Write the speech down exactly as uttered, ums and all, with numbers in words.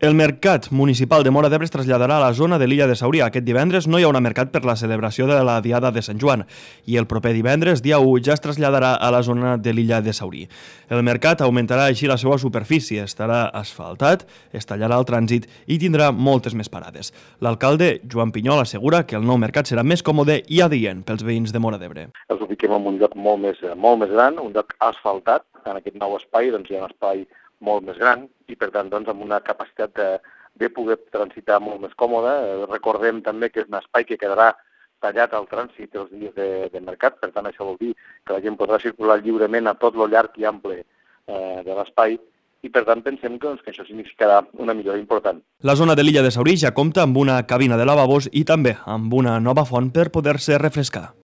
El Mercat Municipal de Móra d'Ebre es traslladarà a la zona de l'illa de Saurí. Aquest divendres no hi haurà mercat per la celebració de la Diada de Sant Joan i el proper divendres, dia u, ja es traslladarà a la zona de l'illa de Saurí. El mercat augmentarà així la seva superfície, estarà asfaltat, es tallarà el trànsit i tindrà moltes més parades. L'alcalde, Joan Pinyol, assegura que el nou mercat serà més còmode i adient pels veïns de Móra d'Ebre. Els ubiquem en un lloc molt més, molt més gran, un lloc asfaltat. En aquest nou espai doncs, hi ha un espai molt més gran i, per tant, doncs, amb una capacitat de, de poder transitar molt més còmoda. Recordem també que és un espai que quedarà tallat al trànsit els dies de, de mercat, per tant, això vol dir que la gent podrà circular lliurement a tot lo llarg i ample eh, de l'espai i, per tant, pensem que, doncs, que això significarà una millora important. La zona de l'illa de Saurí ja compta amb una cabina de lavabos i també amb una nova font per poder-se refrescar.